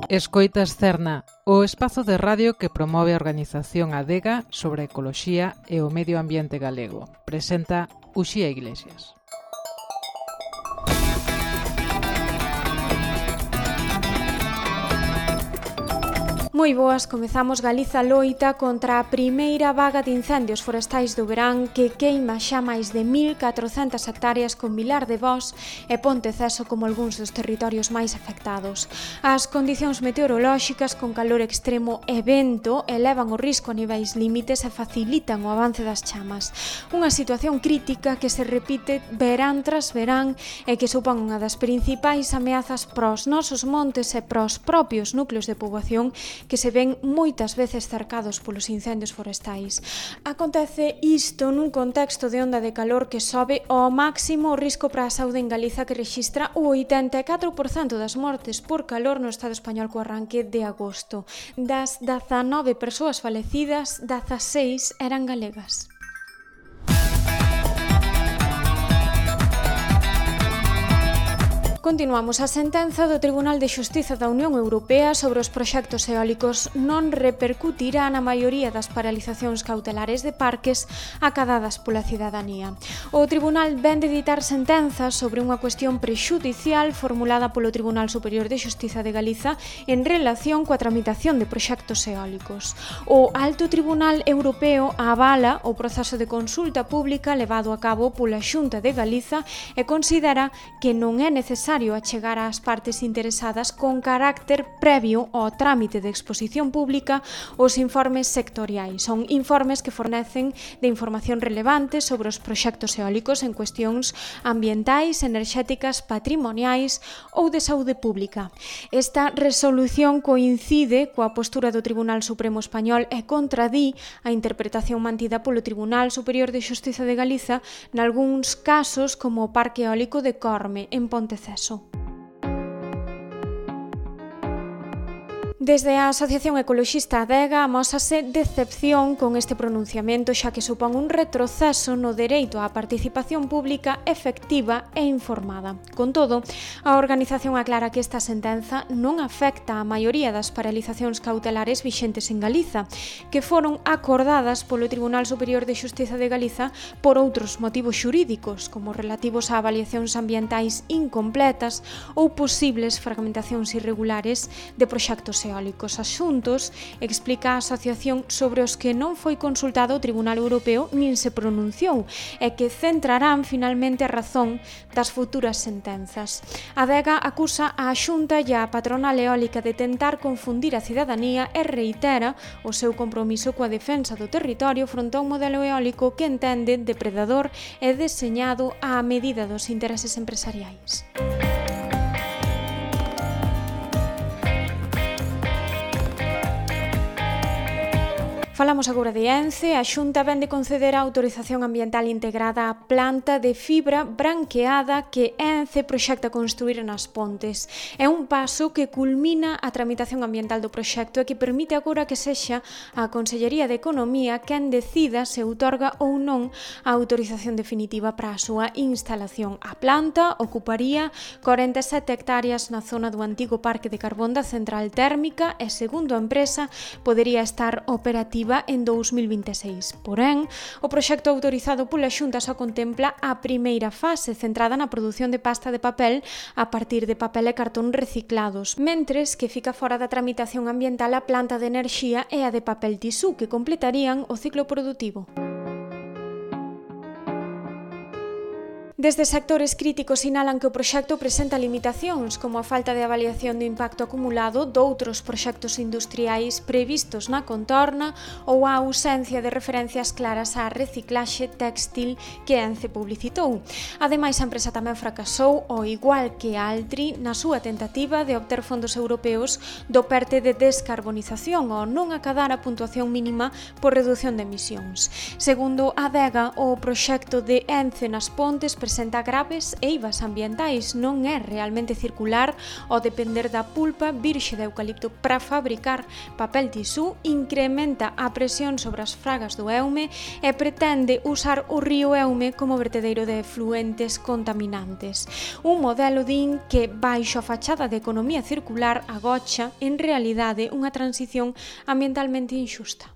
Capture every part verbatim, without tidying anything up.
Escoitas Cerna, o espazo de radio que promove a organización Adega sobre a ecoloxía e o medio ambiente galego. Presenta Uxía Iglesias. Moi boas, comezamos Galiza loita contra a primeira vaga de incendios forestais do verán que queima xa máis de mil catrocentas hectáreas con Vilar de Vós e Ponteceso como algúns dos territorios máis afectados. As condicións meteorolóxicas con calor extremo e vento elevan o risco a niveis límites e facilitan o avance das chamas. Unha situación crítica que se repite verán tras verán e que supón unha das principais ameazas pros nosos montes e pros propios núcleos de poboación que se ven moitas veces cercados polos incendios forestais. Acontece isto nun contexto de onda de calor que sobe ao máximo o risco para a saúde en Galiza, que rexistra o oitenta e catro por cento das mortes por calor no Estado español co arranque de agosto. Das dezanove persoas falecidas, dezaseis eran galegas. Continuamos. A sentenza do Tribunal de Xustiza da Unión Europea sobre os proxectos eólicos non repercutirá na maioría das paralizacións cautelares de parques acadadas pola cidadanía. O Tribunal vén de ditar sentenzas sobre unha cuestión prexudicial formulada polo Tribunal Superior de Xustiza de Galiza en relación coa tramitación de proxectos eólicos. O Alto Tribunal Europeo avala o proceso de consulta pública levado a cabo pola Xunta de Galiza e considera que non é necesario achegar ás partes interesadas con carácter previo ao trámite de exposición pública os informes sectoriais. Son informes que fornecen de información relevante sobre os proxectos eólicos en cuestións ambientais, enerxéticas, patrimoniais ou de saúde pública. Esta resolución coincide coa postura do Tribunal Supremo Español e contradí a interpretación mantida polo Tribunal Superior de Xustiza de Galiza nalgúns casos como o Parque Eólico de Corme, en Ponteceso. Desde a Asociación Ecoloxista Adega amósase decepción con este pronunciamento, xa que supón un retroceso no dereito á participación pública efectiva e informada. Con todo, a organización aclara que esta sentenza non afecta a maioría das paralizacións cautelares vixentes en Galiza, que foron acordadas polo Tribunal Superior de Xustiza de Galiza por outros motivos xurídicos, como relativos a avaliacións ambientais incompletas ou posibles fragmentacións irregulares de proxectos eólicos. Os asuntos, explica a asociación, sobre os que non foi consultado o Tribunal Europeo nin se pronunciou e que centrarán finalmente a razón das futuras sentenzas. A Adega acusa a Xunta e a patronal eólica de tentar confundir a cidadanía e reitera o seu compromiso coa defensa do territorio fronte a un modelo eólico que entende depredador e deseñado á medida dos intereses empresariais. Falamos agora de Ence. A Xunta vén de conceder a autorización ambiental integrada á planta de fibra branqueada que Ence proxecta construir nas Pontes. É un paso que culmina a tramitación ambiental do proxecto e que permite agora que sexa a Consellería de Economía quen decida se outorga ou non a autorización definitiva para a súa instalación. A planta ocuparía corenta e sete hectáreas na zona do antigo parque de carbón da central térmica e, segundo a empresa, podería estar operativa en dous mil vinte e seis. Porén, o proxecto autorizado pola Xunta só contempla a primeira fase, centrada na produción de pasta de papel a partir de papel e cartón reciclados, mentres que fica fora da tramitación ambiental a planta de enerxía e a de papel tisú, que completarían o ciclo produtivo. Desde sectores críticos sinalan que o proxecto presenta limitacións, como a falta de avaliación do impacto acumulado doutros proxectos industriais previstos na contorna ou a ausencia de referencias claras á reciclaxe téxtil que Ence publicitou. Ademais, a empresa tamén fracasou, ao igual que a Altri, na súa tentativa de obter fondos europeos do PERTE de descarbonización ao non acadar a puntuación mínima por reducción de emisións. Segundo a Adega, o proxecto de Ence nas Pontes presenta graves eivas ambientais, non é realmente circular ao depender da pulpa virxe de eucalipto para fabricar papel tisú, incrementa a presión sobre as fragas do Eume e pretende usar o río Eume como vertedeiro de efluentes contaminantes. Un modelo, din, que baixo a fachada de economía circular agocha, en realidade, unha transición ambientalmente inxusta.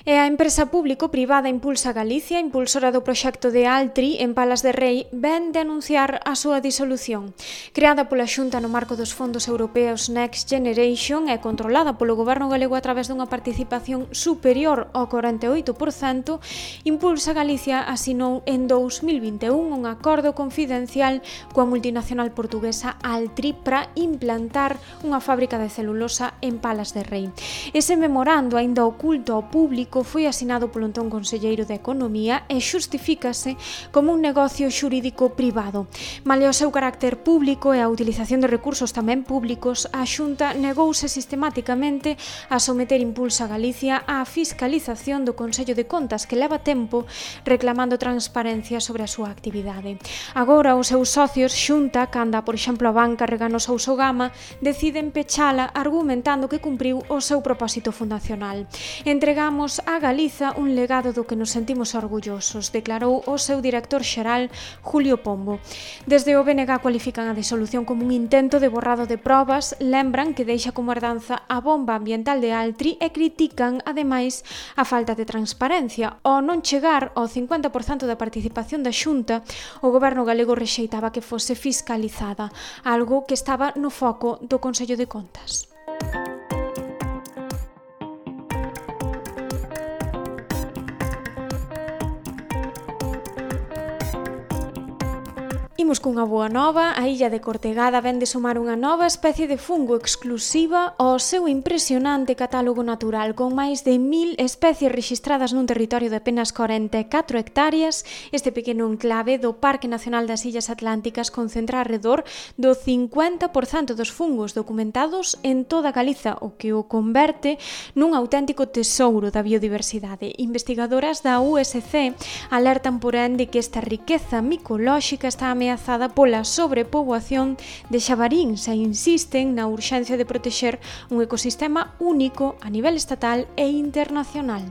E a empresa público-privada Impulsa Galicia, impulsora do proxecto de Altri en Palas de Rei, ven de anunciar a súa disolución. Creada pola Xunta no marco dos fondos europeos Next Generation e controlada polo Goberno galego a través dunha participación superior ao corenta e oito por cento, Impulsa Galicia asinou en dous mil vinte e un un acordo confidencial coa multinacional portuguesa Altri para implantar unha fábrica de celulosa en Palas de Rei. Ese memorando, aínda oculto ao público, foi asinado polo entón conselleiro de Economía e xustifícase como un negocio xurídico privado. Malia o seu carácter público e a utilización de recursos tamén públicos, a Xunta negouse sistematicamente a someter Impulsa Galicia á fiscalización do Consello de Contas, que leva tempo reclamando transparencia sobre a súa actividade. Agora, os seus socios, Xunta, canda, por exemplo, a banca Regano Sousa Gama, deciden pechala argumentando que cumpriu o seu propósito fundacional. Entregamos a Galiza un legado do que nos sentimos orgullosos, declarou o seu director xeral, Julio Pombo. Desde o B N G cualifican a disolución como un intento de borrado de probas, lembran que deixa como herdanza a bomba ambiental de Altri e critican, ademais, a falta de transparencia. Ao non chegar ao cincuenta por cento da participación da Xunta, o Goberno galego rexeitaba que fose fiscalizada, algo que estaba no foco do Consello de Contas. Imos cunha boa nova. A illa de Cortegada ven de sumar unha nova especie de fungo exclusiva ao seu impresionante catálogo natural. Con máis de mil especies rexistradas nun territorio de apenas corenta e catro hectáreas, este pequeno enclave do Parque Nacional das Illas Atlánticas concentra alrededor do cincuenta por cento dos fungos documentados en toda Galiza, o que o converte nun auténtico tesouro da biodiversidade. Investigadoras da U S C alertan, porén, de que esta riqueza micolóxica está ameazada pola sobrepoboación de xabaríns e insisten na urxencia de protexer un ecosistema único a nivel estatal e internacional.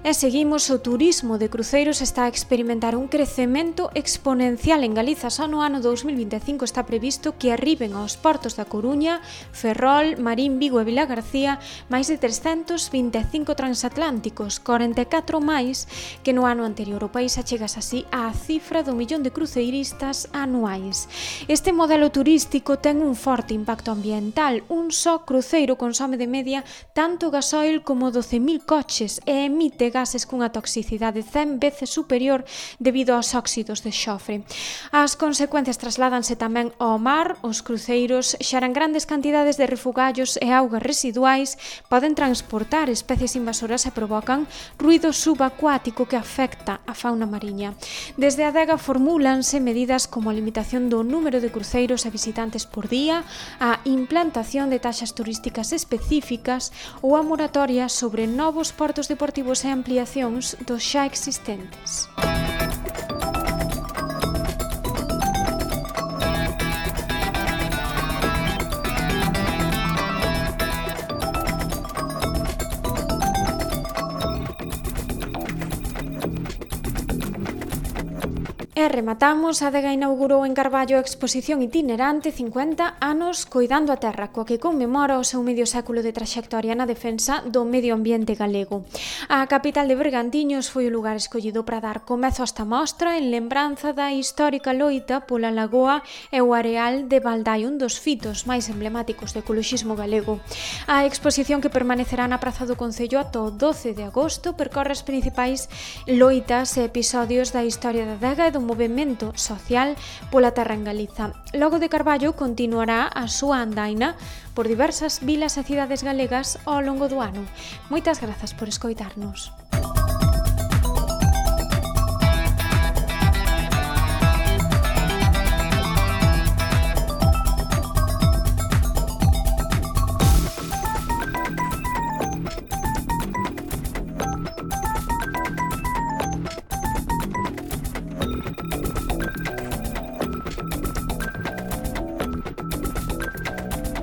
E seguimos, o turismo de cruceiros está a experimentar un crecemento exponencial en Galiza. Só no ano dous mil vinte e cinco está previsto que arriben aos portos da Coruña, Ferrol, Marín, Vigo e Vilagarcía máis de trescentos vinte e cinco transatlánticos, corenta e catro máis que no ano anterior. O país achegas así á cifra do millón de cruceiristas anuais. Este modelo turístico ten un forte impacto ambiental. Un só cruceiro consome de media tanto gasoil como doce mil coches e emite gases cunha toxicidade cen veces superior debido aos óxidos de xofre. As consecuencias trasládanse tamén ao mar. Os cruceiros xeran grandes cantidades de refugallos e augas residuais, poden transportar especies invasoras e provocan ruído subacuático que afecta a fauna mariña. Desde a adega formúlanse medidas como a limitación do número de cruceiros e visitantes por día, a implantación de taxas turísticas específicas ou a moratoria sobre novos portos deportivos e ampliacións dos xa existentes. E rematamos, a adega inaugurou en Carballo a exposición itinerante cincuenta anos coidando a terra, coa que conmemora o seu medio século de traxectoria na defensa do medio ambiente galego. A capital de Bergantiños foi o lugar escollido para dar comezo a esta mostra en lembranza da histórica loita pola lagoa e o areal de Valdai, un dos fitos máis emblemáticos do ecoloxismo galego. A exposición, que permanecerá na Praza do Concello ata o doce de agosto, percorre as principais loitas e episodios da historia da adega e do movemento social pola terra en Galiza. Logo de Carballo continuará a súa andaina por diversas vilas e cidades galegas ao longo do ano. Moitas grazas por escoitarnos.